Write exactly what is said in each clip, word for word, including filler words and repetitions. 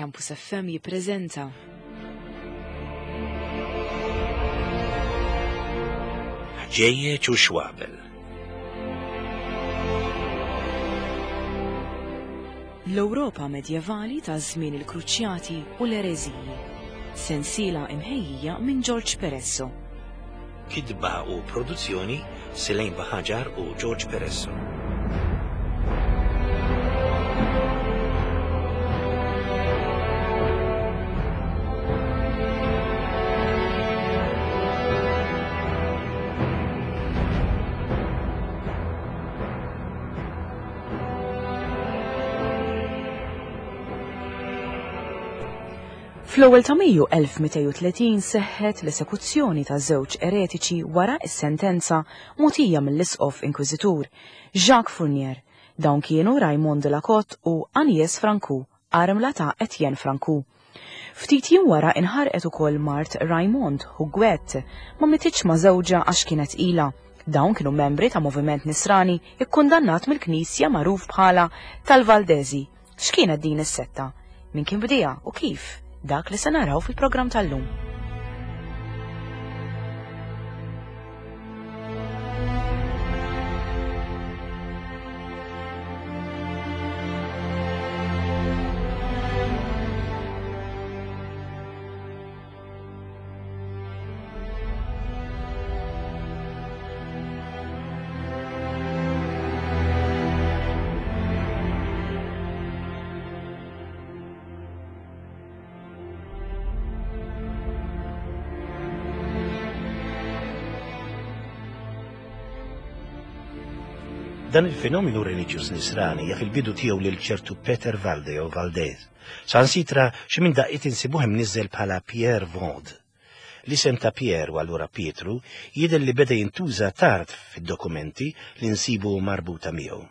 Campus F M jippreżenta Ħġejjeġ u Xwabel. L-Ewropa medjevali ta' żmien il-Kruċjati u l-Ereżiji. Sensiela imħejjija minn George Peresso. Kitba u produzzjoni Selene Baħaġar u George Peresso. Fl-ewwel ta' Mejju elf mitejn u tletin seħħet l-esekuzzjoni ta' żewġ eretiċi wara s-sentenza mogħtija mill-Isqof Inkwiżitur Jacques Fournier. Dawn kienu Raymond de la Cotte u Agnès Francoux, armla ta' Etienne Francoux. Ftit jiem wara inħarqet ukoll mart Raymond Huguette, ma mititx ma' żewġha għax kienet ilha. Dawn kienu membri ta' moviment nisrani ikkundannat mill-Knisja magħruf bħala tal-Valdezi. X'kienet din is-setta? Min kien bdieha u kif? Dak li se naraw fil-programm tal-lum. Dan il-fenomenu reliġjuż nisrani jaf il-bidu tiegħu lil ċertu Peter Valde jew Valdez. Sansitra xi minn daqqiet insibuh imniżżel bħala Pierre Vaude. L-isem ta' Pierre u allura Pietru jidher li beda jintuża tard fid-dokumenti li nsibu marbuta miegħu.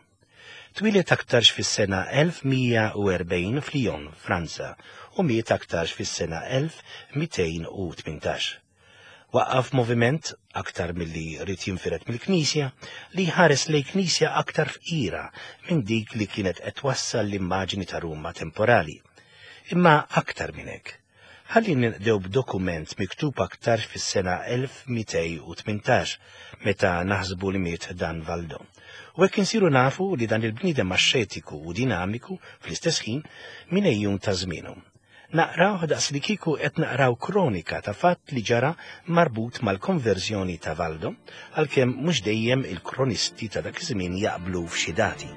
Twieled aktarx fis-sena elf mija u erbgħin f'Lyon, Franza, u miet aktarx fis-sena elf mitejn u tmintax. Waqqaf moviment, aktar milli ried jinfired mill-Knisja, li ħares lejn Knisja aktar fqira minn dik li kienet qed twassal l-immaġni ta' Ruma temporali. Imma aktar minn hekk. Ħalli ninqdew b'dokument miktub aktar fis-sena elf mitejn u tmintax, meta naħsbu li miet dan Valdo. U hekk insiru nafu li dan il-bniedem axxetiku u dinamiku fl-istess ħin minn ejjun ta' żmienu. Naqraw daqs li kieku qed naqraw kronika ta' fatt li ġara marbut mal-konverżjoni ta' Valdo, għalkemm mhux dejjem il-kronisti ta' dak iż-żmien jaqblu f'xi dati.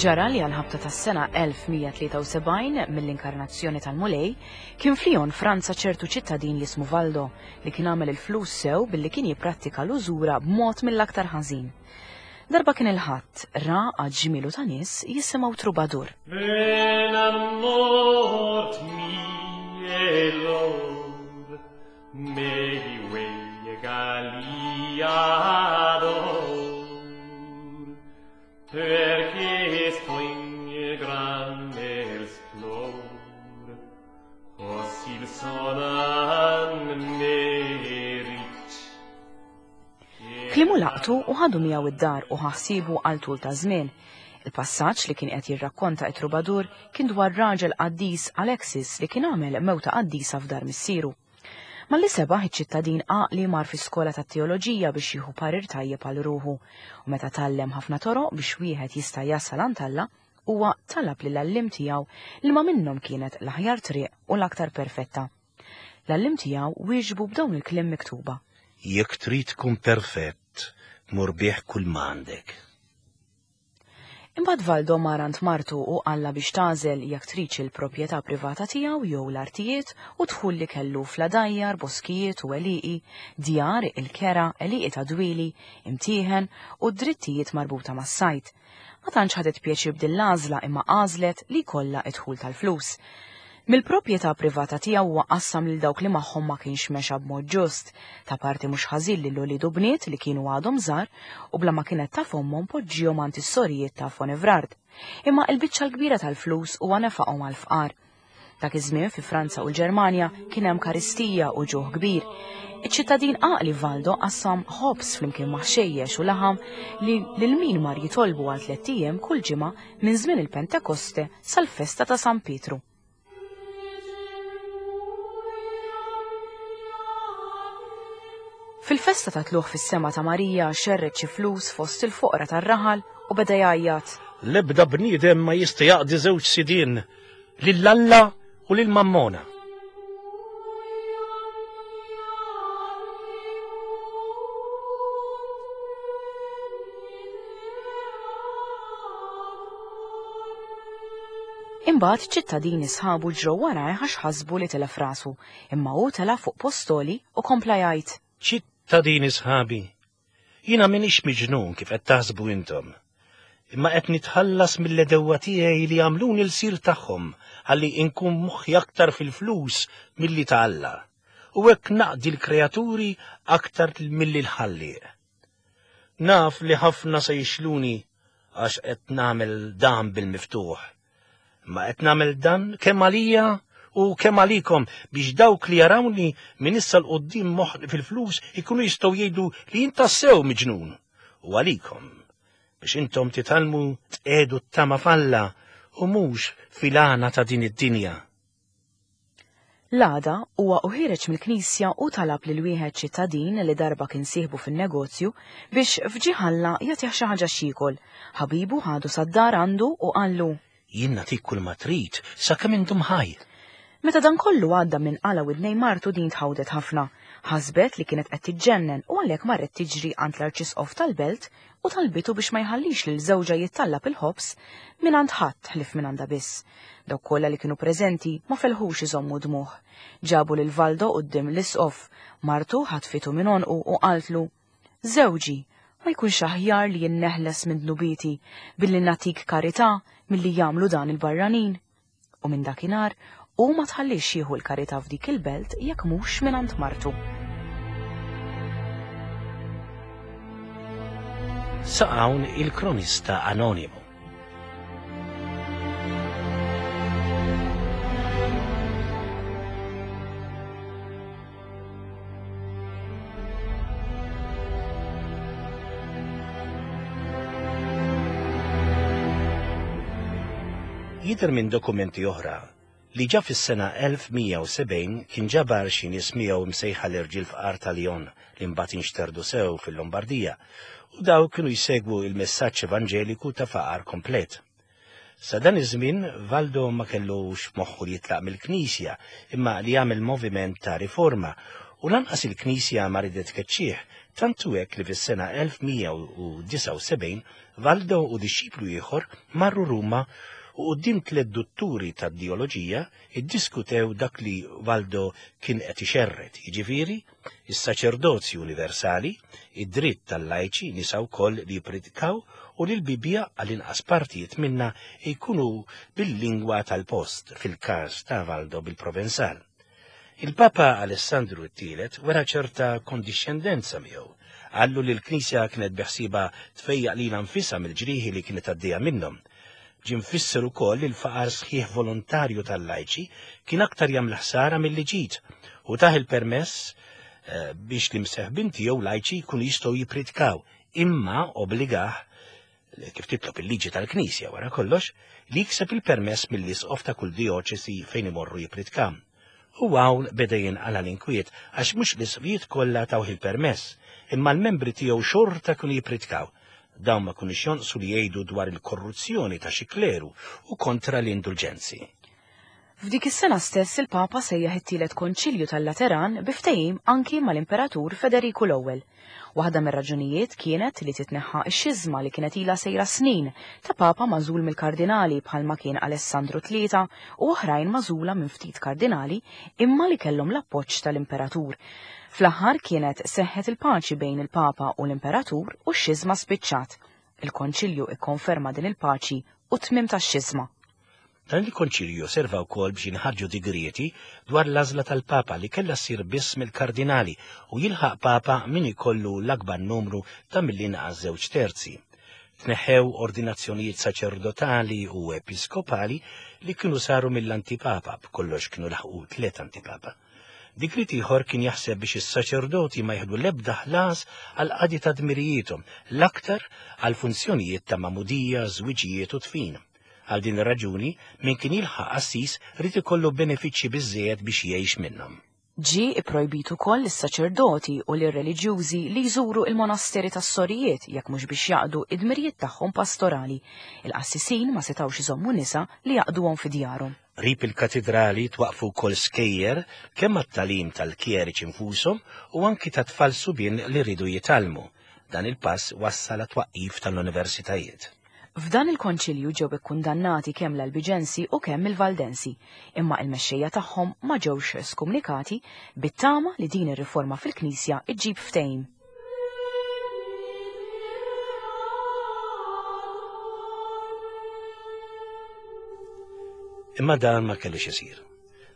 Ġara li għal-ħabta tas-sena elf mija tlieta u sebgħin mill-inkarnazzjoni tal-Mulej kien f'Lyon Franza ċertu ċittadin li jismu Valdo li kien għamel il-flus sew billi kien jipprattika l-użura b'mod mill-aktar ħażin. Darba kien il-ħadd ra għad ġmielu ta' nies jisimgħu trubadur. Ven amor mie lor, me galiador, perché sto in grande splor, così il sonan me rich. Klimu laqtu u ħadu miegħu id-dar u ħassibu għal tul ta' żmien. Il-passaġġ li kien qed jirrakkonta it-trubadur kien dwar raġel qaddis Alexis li kien għamel mewta qaddisa f'dar missieru. Malli sebaħ iċ-ċittadin għaqli mar fi skola tat-teoloġija biex jieħu parir tajjeb għal ruħu, u meta tgħallem ħafna toroq biex wieħed jista' jasal għand Alla, huwa talab lill-għalliem tiegħu li ma minnhom kienet l-aħjar triq u l-aktar perfetta. L-għalliem tiegħu wieġbu b'dawn il-kliem miktuba. Jekk trid tkun perfett, mur bih kull ma għandek. Imbagħad Valdo mar għand martu u qallha biex tagħżel jekk tridx il-proprjetà privata tiegħu jew l-artijiet u dħul li kellu fl-għadajjar, boskijiet u għelieqi, djar, il-kera, għelieqi ta' dwieli, imtieħen u drittijiet marbuta mas-sajt. Ma tantx ħadet pjaċir b'din l-għażla imma għażlet li jkollha d-dħul tal-flus. Mill-proprjetà privata tiegħu huwa qassam lil dawk li magħhom ma kienx mexa b'mod ġust, ta' parti mhux ħażin lil ulied u bniet li kienu għadhom żgħar u bla ma kienet taf ommhom poġġihom għand is-sorijiet ta' Fonevrard. Imma l-biċċa l-kbira tal-flus huwa nefaqhom għall-fqar. Dak iż-żmien fi Franza u l-Ġermanja kien hemm karistija u ġuħ kbir. Iċ-ċittadin għaqli Valdo qassam ħobż flimkien ma' ħxejjex u laħam li lil min mar jitolbu għal tlett ijiem kull ġimgħa minn żmien il-Pentekoste sal-festa ta' San Pietru. Fil-festa ta' tluħ fis-sema ta' Marija xerred xi flus fost il-foqra tar-raħal u beda jgħajjat. L-ebda bniedem ma jista' jaqdi żewġ sidien, lil Alla u lil Mammona. Imbagħad ċittadini sħabu ġrew warajh għax ħasbu li telef rasu, imma hu tela' fuq postoli u kompla jgħid. Ċittadini sħabi, jiena m'iniex miġnun kif qed taħsbu intom, imma qed nitħallas mill-edewwa tiegħi li jagħmluni l-sir tagħhom ħalli inkun moħħi aktar fil-flus milli ta' Alla, u hekk naqdi l-kreaturi aktar milli l-ħallieq. Naf li ħafna se jixluni għax qed nagħmel dan bil-miftuħ, imma qed nagħmel dan kemm għalija u kemm għalikom biex dawk li jarawni minn issa l quddiem moħħ fil-flus ikunu jistgħu jgħidu li jien tassew miġnun, u għalikom biex intom titgħallmu tqiegħdu t-tama f'Alla u mhux fil-għana ta' din id-dinja. L-għada huwa u ħireġ mill-knisja u talab lil wieħed ċittadin li darba kien sieħbu fin-negozju biex f'ġieħ Alla jagħtih xi ħaġa x'jiekol. Ħabibu ħadu sad-dar għandu u qallu: Jien nagħtik kull ma trid sakemm intom ħaj. Meta dan kollu għadda minn qala widnej martu din tħawdet ħafna. Ħasbet li kienet qed tiġġennen u għalhekk marret tiġri għand l-arċisqof tal-belt u talbitu biex ma jħallix lil żewġha jittallab il-ħobż mingħand ħadd ħlief minn għandha biss. Dawk kollha li kienu preżenti ma felħux iżommu dmuh. Ġabu lil Valdo quddiem l-isqof, martu ħatfitu minn għonqu u qaltlu: Żewġi, ma jkunx aħjar li jinneħles minn dnubieti billi nagħtik karità milli jagħmlu dan il-barranin. U minn dakinhar u ma tħallix jieħu l-karità f'dik il-belt jekk mhux mingħand martu. Sa hawn il-kronista anonimu. Jidher minn dokumenti oħra li ġa fis-sena elf mija u sebgħin kien ġabar xi nies miegħu msejħa l-irġiel fqar ta' Lyon li mbagħad inxterdu sew fil-Lombardija, u daw kienu jsegwu il-messaġġ evanġeliku ta' faqar komplet. Sa dan iż-żmien Valdo ma kellux moħħu li jitlaq mill-Knisja imma li jagħmel moviment ta' riforma, u lanqas il-Knisja ma ridet tkeċċih, tantu hekk li fis-sena elf mija u disgħa u sebgħin Valdo u dixxiplu ieħor marru Ruma u quddiem tliet dutturi tad-dioloġija iddiskutew dak li Valdo kien qed ixerred, jiġifieri is-saċerdozju universali, id-dritt tal-lajċi nisa wkoll li jippritkaw u li l-Bibbja għall-inqas partijiet minnha jkunu bil-lingwa tal-post, fil-każ ta' Valdo bil-Provenzal. Il-Papa Alessandru t-tielet wera ċerta kondixxendenza miegħu. Qallu li l-Knisja kienet beħsieba tfejjaq lilha nfisha mill-ġrieħi li kienet għaddejja minnhom. Ġie mfisser ukoll li l-faqar sħiħ volontarju tal-lajċi kien aktar jagħmel ħsara milli ġid, u tah il-permess biex l-imseħbin tiegħu lajċi jkunu jistgħu jippritkaw, imma obbligah, kif titlob il-liġi tal-Knisja wara kollox, li jikseb il-permess mill-isqof ta' kull dioċesi fejn imorru jippritkaw. U hawn beda jinqala l-inkwiet għax mhux l-isqfijiet kollha tawh il-permess, imma l-membri tiegħu xorta kienu jippritkaw. Dawn ma kinux jonqsu li jgħidu dwar il-korruzzjoni ta' xi kleru u kontra l-indulġenzi. F'dik is-sena stess il-Papa sejjaħ it-tielet konċilju tal-Lateran bi ftehim anki mal-Imperatur Federiku l-Ewwel. Waħda mir-raġunijiet kienet li titneħħa x-xiżma li kienet ilha sejra snin ta' Papa magħżul mill-kardinali bħalma kien Alessandru tlieta u oħrajn magħżula minn ftit kardinali imma li kellhom l-appoġġ tal-Imperatur. Fl-aħħar kienet seħħet il-paċi bejn il-Papa u l-Imperatur u x-xiżma spiċċat. Il-Konċilju ikkonferma din il-paċi u tmiem tax-xiżma. Dan il-Konċilju serva wkoll biex jinħarġu digrieti dwar l-għażla tal-Papa li kellha ssir biss mill-kardinali u jilħaq Papa min ikollu l-akbar numru ta' mill-inqas żewġ terzi. Tneħħew ordinazzjonijiet saċerdotali u episkopali li kienu saru mill-antipapa, b'kollox kienu laħqu tliet antipapa. Digriet ieħor kien jaħseb biex is-saċerdoti ma jieħdu l-ebda ħlas għal qadi ta' dmirijiethom, l-aktar għal funzjonijiet ta' magħmudija, żwiġijiet u tfin. Għal din ir-raġuni, min kien jilħaq qassis rid ikollu benefiċċji biżżejjed biex jgħix minnhom. Ġie ipprojbit ukoll lis-saċerdoti u lir-reliġjużi li jżuru il-monasteri tas-sorijiet jekk mhux biex jaqdu id-dmirijiet tagħhom pastorali. Il-qassisin ma setgħux iżommu nisa li jaqduhom fi djarhom. Qrib il-katedrali twaqfu wkoll skejjer kemm għat-tagħlim tal-kjeriċi infushom u anki ta' tfal subien li rridu jitgħallmu. Dan il-pass wassal għat-twaqqif tal-universitajiet. F'dan il-konċilju ġew ikkundannati kemm l-Albiġensi u kemm il-Valdensi, imma il-mexxejja tagħhom ma ġewx skumnikati bit-tama li din ir-riforma fil-Knisja iġġib ftehim. Imma dan ma kellux isir.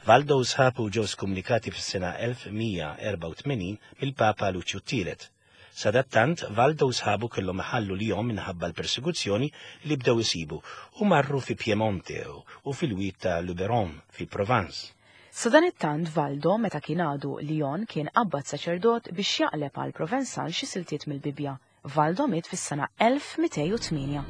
Valdo u sħabu ġew skumnikati fis-sena elf mija erbgħa u tmenin mill-Papa Luċju t-Tielet. Sadattant, Valdo u sħabu kellhom iħallu Lyon minħabba l-persekuzzjoni li bdew isibu u marru fi Piemonte u fil-wied ta' Luberon fi Provence. Sadanittant Valdo meta kien għadu Lyon kien qabbad saċerdot biex jaqleb għal Provenzal xi siltiet mill-Bibbja. Valdo miet fis-sena elf mitejn u tmienja.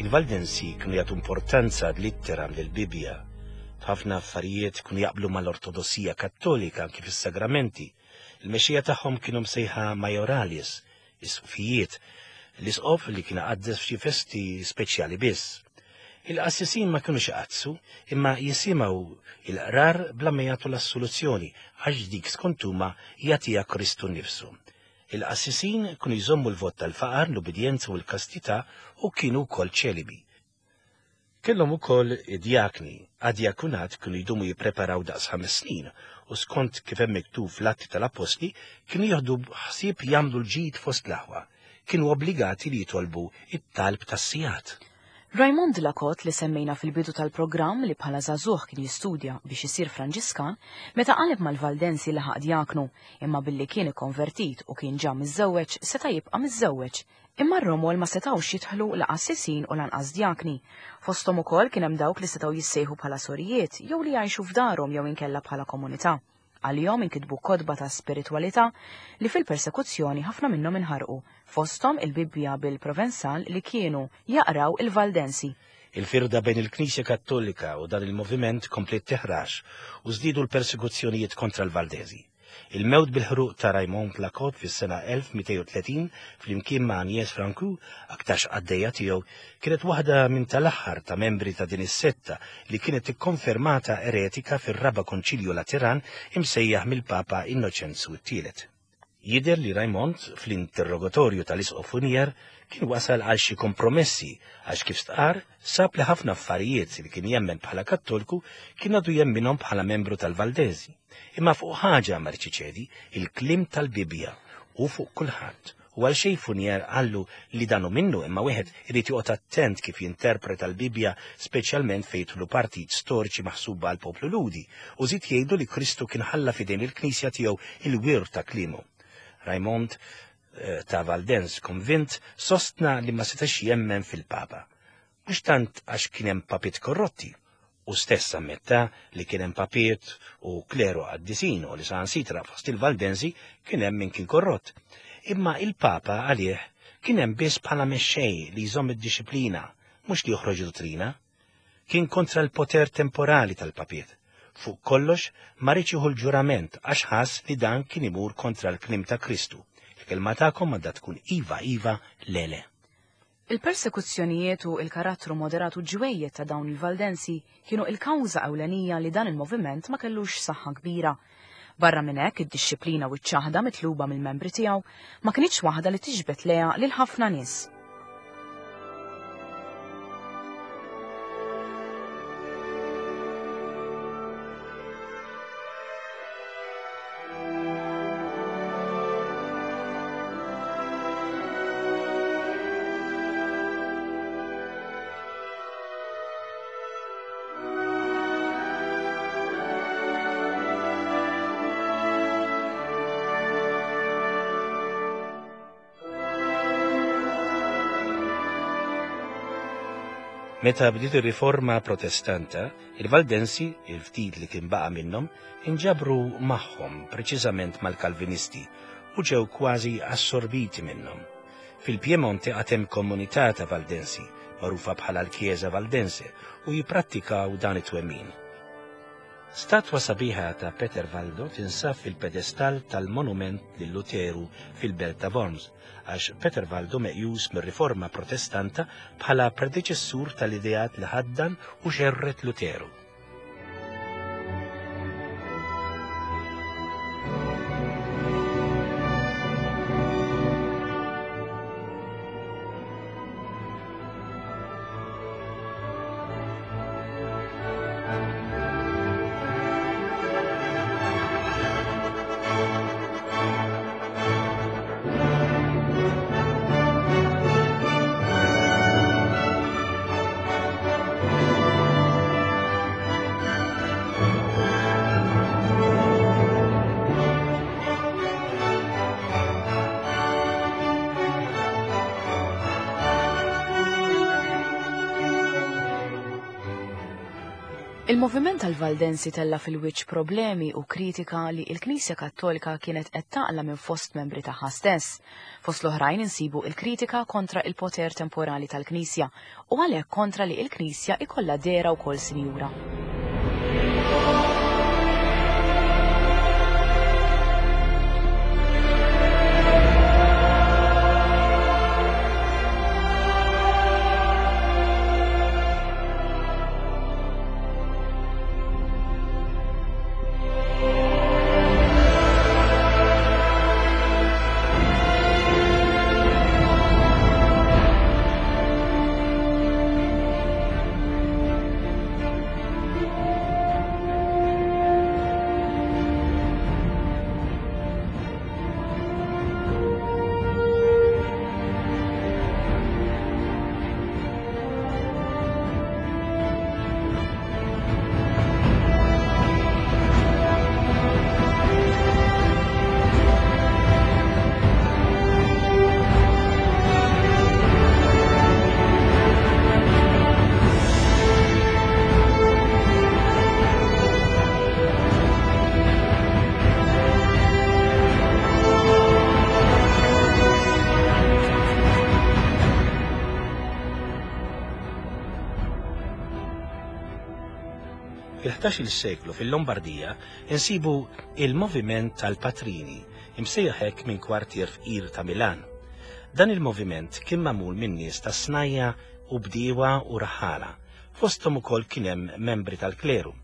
Il-Valdensi kienu jagħtu importanza ad litteram lill-Bibbja. F'ħafna affarijiet kienu jaqblu mal-Ortodossija Kattolika anki fis-sagramenti. Il-mexxija tagħhom kienu msejħa majoralis, isqfijiet, l-isqof li kien iqaddes f'xi festi speċjali biss. Il-qassisin ma kinux iqaddsu, imma jisimgħu il-qrar bla ma jagħtu l-assoluzzjoni għax dik skont huma jagħtiha Kristu nnifsu. Il-qassisin kienu jżommu l-vot tal-faqar, l-ubidjenza u l-kastità u kienu wkoll ċelibi. Kellhom ukoll id-djakni, għad-djakunat kienu jdumu jippreparaw daqs ħames snin u skont kif hemm miktub fl-Atti tal-Appostli kienu jieħdu ħsieb jagħmlu l-ġid fost l-aħwa. Kienu obbligati li jitolbu it-talb tas-sigħat. Raymond de la Cotte li semmejna fil-bidu tal-programm li bħala żagħżugħ kien jistudja biex isir Franġiskan, meta qaleb mal-Valdensi laħaq djaknu, imma billi kien ikkonvertit u kien ġa miżżewweġ seta' jibqa' miżżewweġ. Imma r-romol ma setgħux jidħlu la qassisin u lanqas djakni. Fosthom ukoll kien hemm dawk li setgħu jissejħu bħala sorijiet jew li jgħixu f'darhom jew inkella bħala komunità. Għalihom inkitbu kotba ta' spiritwalità li fil-persekuzzjoni ħafna minnhom inħarqu, fosthom il-Bibbja bil-Provenzal li kienu jaqraw il-Valdensi. Il-firda bejn il-Knisja Kattolika u dan il-moviment komplet teħrax u żdiedu l-persekuzzjonijiet kontra l-Valdesi. Il-mewt bil-ħruq ta' Raymond Lacot fis-sena elf mitejn u tletin flimkien ma' Agnès Francu, aktarx qaddejja tiegħu, kienet waħda minn tal-aħħar ta' membri ta' din is-setta li kienet ikkonfermata eretika fir-Raba' Konċilju Lateran imsejjaħ mill-Papa Innoċenzu t-Tielet. Jidher li Raymond fl-interrogatorju tal-Isqof Fournier kien wasal għal xi kompromessi għax kif stqar sab li ħafna affarijiet li kien jemmen bħala Kattolku kien għadu jemminhom bħala membru tal-Valdesi. Imma fuq ħaġa ma rċiċedi, il-kliem tal-Bibbja u fuq kulħadd. U għal xejn Fournier qallu li danu minnu imma wieħed irid joqgħod attent kif jinterpreta l-Bibbja speċjalment fejn jidħlu partit storiċi maħsuba għal poplu Lhudi u żid jgħidu li Kristu kien ħalla f'idejn il-Knisja tiegħu il-wir ta' kliemu. Raymond ta' Valdens konvint sostna li ma setax jemmen fil-Papa. Mhux tant għax kien hemm papiet korrotti, u stess ammetta li kien hemm papiet u kleru qaddisin u li saħansitra fost il-Valdensi kien hemm min kien korrott. Imma il-Papa għalih kien hemm biss bħala mexxej li jżomm id-disciplina, mhux li joħroġ dottrina. Kien kontra l-poter temporali tal-papiet. Fuq kollox ma riedx jieħu l-ġurament għax ħass li dan kien imur kontra l-kliem ta' Kristu. Il-kelma tagħkom għandha tkun iva iva le le. Il-persekuzzjonijiet u il-karattru moderatu ġwejjed ta' dawn il-Valdensi kienu il-kawża ewlenija li dan il-moviment ma kellux saħħa kbira. Barra minn hekk id-dixxiplina u ċ-ċaħda mitluba mill-membri tiegħu ma kinitx waħda li tiġbed lejha lil ħafna nies. Meta bdiet ir-riforma protestanta, il-Valdensi, il-ftit li kien baqa' minnhom, inġabru magħhom preċiżament mal-Kalvinisti u ġew kważi assorbiti minnhom. Fil-Piemonte għad hemm komunità ta' Valdensi, magħrufa bħala l-Chiesa Valdense, u jipprattikaw dan it-twemmin. Statwa sabiħa ta' Peter Valdo tinsab fil-pedestal tal-monument lil Luteru fil-belt ta' Worms, għax Peter Valdo meqjus mir-riforma protestanta bħala predeċessur tal-ideat li ħaddan u xerret Luteru. Il-moviment tal-Valdensi tella fil-wiċċ problemi u kritika li il-Knisja Kattolika kienet qed taqla minn fost membri tagħha stess. Fost l-oħrajn insibu il-kritika kontra il-poter temporali tal-Knisja u għalhekk kontra li il-Knisja ikollha dehra wkoll sinjura. Fil-ħdax-il seklu fil-Lombardija insibu il-moviment tal-Patrini, imsejjaħ hekk minn kwartier fqir ta' Milan. Dan il-moviment kien magħmul minn nies ta' snajja u bdiewa u raħala, fosthom ukoll kien hemm membri tal-kleru.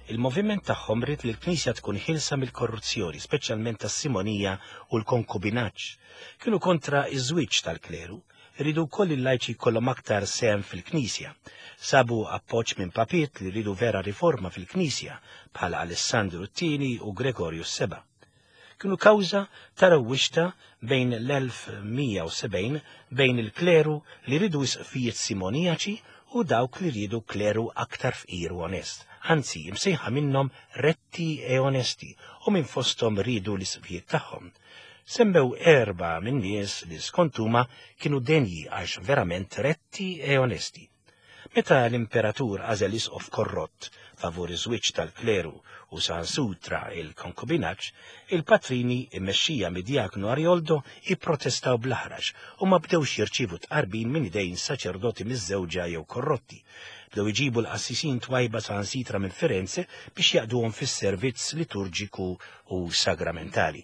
Il-moviment tagħhom ried li l-Knisja tkun ħilsa mill-korruzzjoni, speċjalment tas-simonija u l-konkubinaġġ. Kienu kontra iż-żwieġ tal-kleru, rridu wkoll il-lajċi jkollhom aktar sehem fil-Knisja. Sabu appoġġ minn papiet li rridu vera riforma fil-Knisja bħala Alessandru t-tieni u Gregorju s-seba'. Kienu kawża ta' rewwixta bejn l-elf mija u sebgħin bejn il-kleru li rridu isqfijiet simonijaċi u dawk li rridu kleru aktar fqir u onest, anzi imsejħa minnhom retti e onesti u minn fosthom rridu l-isqfijiet tagħhom. Semmew erba' minn nies li skont huma kienu denji għax verament retti e onesti. Meta l-imperatur għażel isqof korrott favur iż-żwieġ tal-kleru u saħansitra il-konkubinaġġ, il-patrini immexxija mid-diaknu Arioldo ipprotestaw bl-aħrax u ma bdewx jirċievu tqarbin minn idejn saċerdoti miż-żewġa jew korrotti. Bdew iġibu l-qassisin twajba saħansitra minn Firenze biex jaqduhom fis-servizz liturġiku u sagramentali.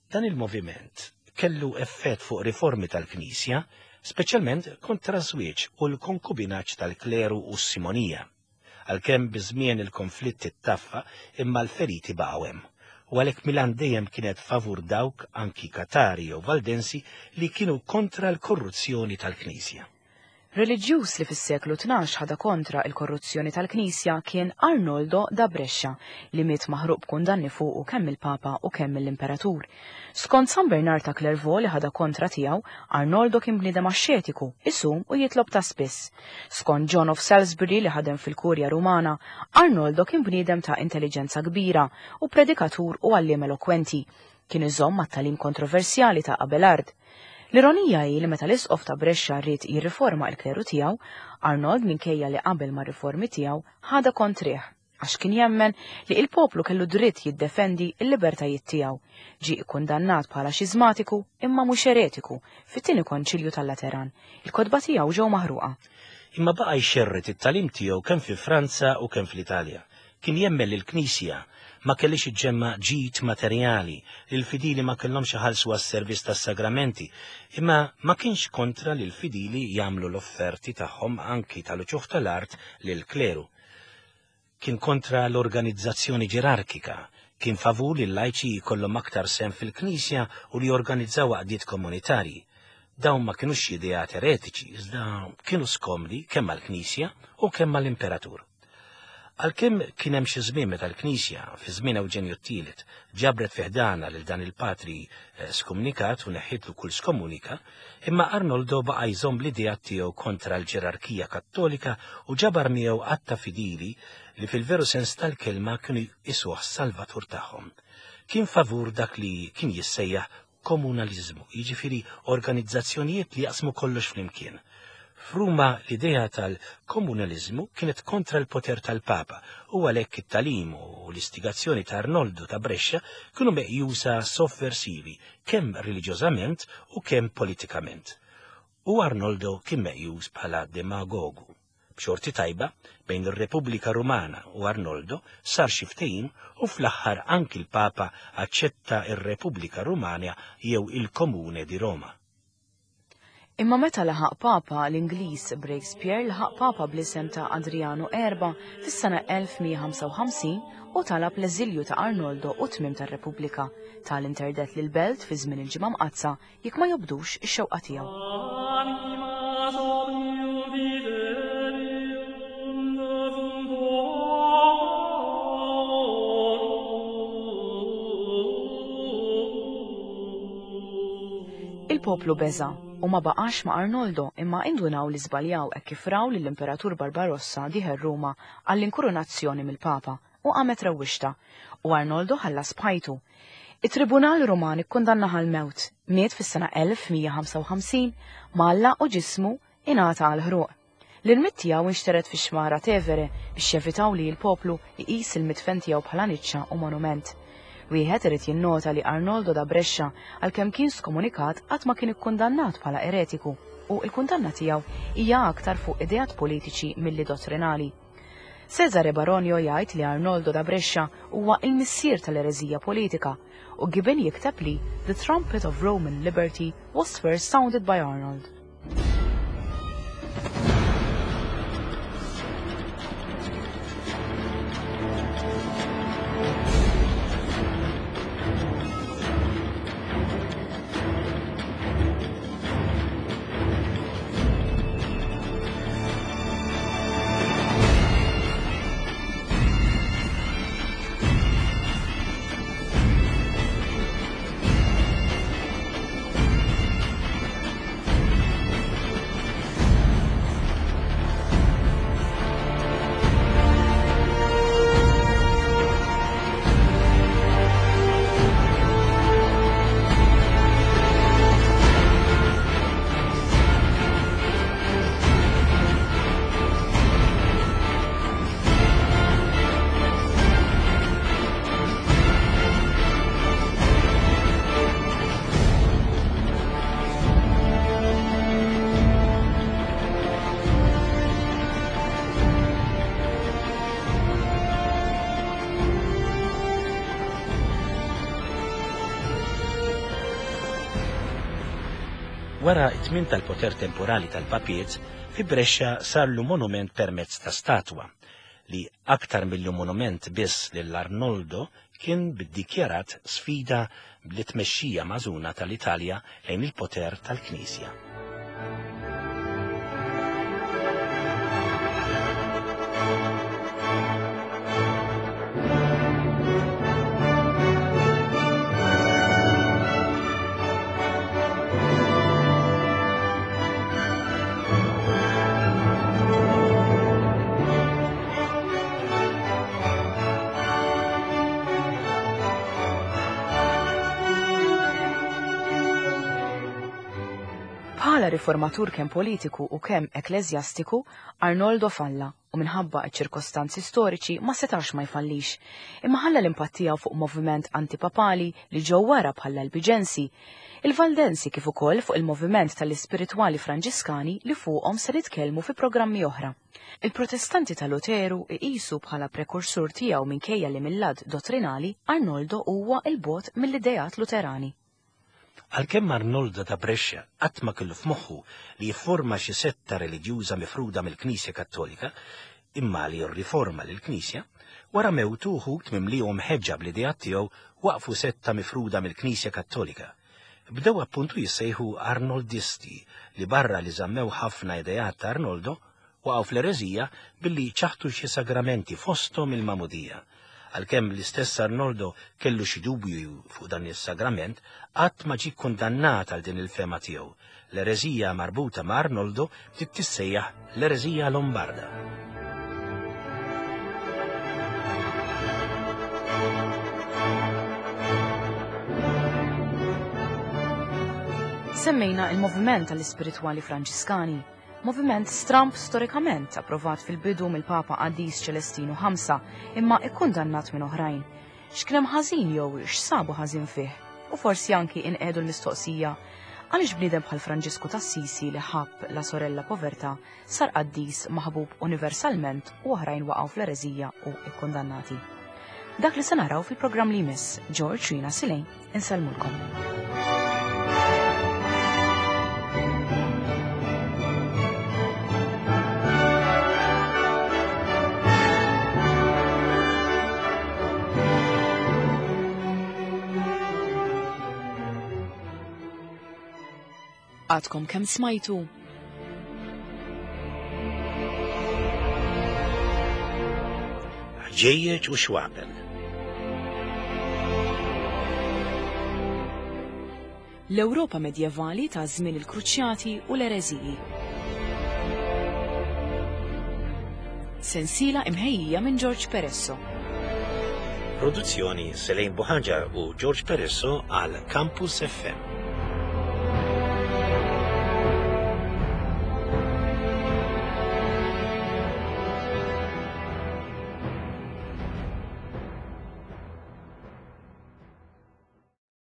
Dan il-moviment kellu effett fuq riformi tal-Knisja, speċjalment kontra żwieġ u l-konkubinaġġ tal-kleru u s-simonija. Għalkemm biż-żmien il-konflitt ittaffa imma l-feriti baqgħu hemm. U għalhekk Milan dejjem kienet favur dawk anki Katari jew Valdensi li kienu kontra l-korruzzjoni tal-Knisja. Reliġjuż li fis-seklu tnax ħada kontra il-korruzzjoni tal-Knisja kien Arnoldo da Brescia li miet maħruq b'kundanni fuqu kemm il-Papa u kemm l-Imperatur. Skont San Bernard ta' Clairvaux li ħada kontra tiegħu, Arnoldo kien bniedem axxetiku, isum u jitlob ta' spiss. Skont John of Salisbury li ħadem fil-Kurja Rumana, Arnoldo kien bniedem ta' intelligenza kbira u predikatur u għalliem elokwenti. Kien iżomm mat-tagħlim kontroversjali ta' Abelard. L-ironija hi li meta l-isqof ta' Brescia ried jirriforma l-kleru tiegħu, Arnold minkejja li qabel mar-riformi tiegħu ħadha kontrih għax kien jemmen li il-poplu kellu dritt jiddefendi l-libertajiet tiegħu. Ġie kkundannat bħala xiżmatiku imma mhux eretiku fit-tieni konċilju tal-Lateran. Il-kotba tiegħu ġew maħruqa. Imma baqa' jxerred it-tagħlim tiegħu kemm fi Franza u kemm fl-Italja. Kien jemmen li l-Knisja ma kellix iġġemma ġid materjali, li l-fidili ma kellhomx iħallsu għas-servizz tas-sagramenti, imma ma kienx kontra li l-fidili jagħmlu l-offerti tagħhom anki tal-uċuħ tal-art lill-kleru. Kien kontra l-organizzazzjoni ġerarkika, kien favur li l-lajċi jkollhom aktar sehem fil-Knisja u li jorganizzaw għaqdiet komunitarji. Dawn ma kinux ideat eretiċi, iżda kienu skomdi kemm għall-Knisja u kemm għall-Imperatur. Għalkemm kien hemm xi żmien meta l-Knisja fi żmien Ewġenju t-tielet ġabret fi ħdana lil dan il-patri skumnikat u neħħitlu kull skomunika, imma Arnoldo baqa' jżomm l-idea tiegħu kontra l-ġerarkija Kattolika u ġabar miegħu għadd ta' fidili li fil-veru sens tal-kelma kienu jqisuh salvatur tagħhom. Kien favur dak li kien jissejjaħ komunalizmu, jiġifieri organizzazzjonijiet li jaqsmu kollox flimkien. F'Ruma l-idea tal-komunalizmu kienet kontra l-poter tal-Papa u għalhekk it-tagħlim u l-istigazzjoni ta' Arnoldo ta' Brescia kienu meqjusa sovversivi kemm reliġjożament u kemm politikament. U Arnoldo kien meqjus bħala demagogu. B'xorti tajba, bejn ir-Repubblika Rumana u Arnoldo sar xi ftehim u fl-aħħar anki l-Papa aċċetta r-Repubblika Rumana jew il-Komune di Roma. Imma meta laħaq Papa l-Ingliż Breakspear laħaq Papa bl-isem ta' Adriano Erba fis-sena elf mija ħamsa u ħamsin u talab l-eżilju ta' Arnoldo u tmiem tar-Repubblika tal-interdet lil belt fi żmien il-Ġimgħa Mqaddsa jekk ma jobdux ix-xewqa tiegħu. Il-poplu beża' u ma baqax ma' Arnoldo imma indunaw li żbaljaw hekk kif raw lill-Imperatur Barbarossa dieħel Ruma għall-inkurunazzjoni mill-Papa u qamet rewwixta u Arnoldo ħallas bħajtu. It-Tribunal Ruman ikkundannah għall-mewt, miet fis-sena elf mija ħamsa u ħamsin malla u ġismu ingħata għal ħruq. L-irmied tiegħu inxteret fix-xmara Tevere biex jevitaw li l-poplu jqis il-midfen tiegħu bħala niċċa u monument. Wieħed irid jinnota li Arnoldo da Brescia għalkemm kien skomunikat qatt ma kien ikkundannat bħala eretiku u l-kundanna tiegħu hija aktar fuq ideat politiċi milli dottrinali. Cesare Baronio jgħid li Arnoldo da Brescia huwa il-missier tal-ereżija politika u Gibbon jikteb li The Trumpet of Roman Liberty was first sounded by Arnold. Wara it-tmiem tal-poter temporali tal-papiet, fi Brescia sarlu monument permezz ta' statwa li aktar millu monument biss lil Arnoldo kien biddikjarat sfida li tmexxija mażuna tal-Italja lejn il-poter tal-Knisja. Bħala riformatur kemm politiku u kemm ekklesjastiku, Arnoldo falla u minħabba ċ-ċirkostanzi storiċi ma setax ma jfallix. Imma ħalla l-impatt tiegħu fuq moviment antipapali li ġew wara bħala l-Albiġensi, il-Valdensi kif ukoll fuq il-moviment tal-ispiritwali Franġiskani li fuqhom se nitkellmu fi programmi oħra. Il-Protestanti ta' Luteru iqisu bħala prekursur tiegħu minkejja li mill-lat dottrinali Arnoldo huwa il-bot mill-ideat Luterani. Għalkemm Arnoldo ta' Brescia qatt ma kellu f'moħħu li jifforma xi setta reliġjuża mifruda mill-Knisja Kattolika, imma li jirriforma lill-Knisja, wara mewtu wħud mimlihom ħeġġa bl-ideat tiegħu waqfu setta mifruda mill-Knisja Kattolika. Bdew appuntu jissejħu Arnoldisti li barra li żammew ħafna ideat ta' Arnoldo waqgħu fl-ereżija billi ċaħtu xi sagramenti fosthom il-Magħmudija. Għalkemm l-istess Arnoldo kellu xi dubju fuq dan is-sagrament, qatt ma ġie kundannat għal din il-fema tiegħu. L-ereżija marbuta ma' Arnoldo bdiet tissejjaħ l-ereżija Lombarda. Semmejna il-moviment tal-ispiritwali Franġiskani, moviment stramb storikament approvat fil-bidu mill-Papa Qaddis Ċelestinu ħamsa, imma ikkundannat minn oħrajn. X'kien hemm ħażin jew x'sabu ħażin fih? U forsi anki inqedu l-mistoqsija għaliex bniedem bħal Franġisku t'Assisi li ħabb la sorella povertà sar qaddis maħbub universalment u oħrajn waqgħu fl-ereżija u ikkundannati. Dak li se naraw fil-programm li jmiss, George Rina Silejn, insellmulkom. Għadkom kemm smajtu? Ħġejjeġ u xwabel. L-Ewropa medjevali ta' żmien il-Kruċjati u l-ereżiji. Sensiela imħejjija minn George Peresso. Produzzjoni Selene Buhaġar u George Peresso għal Campus F M.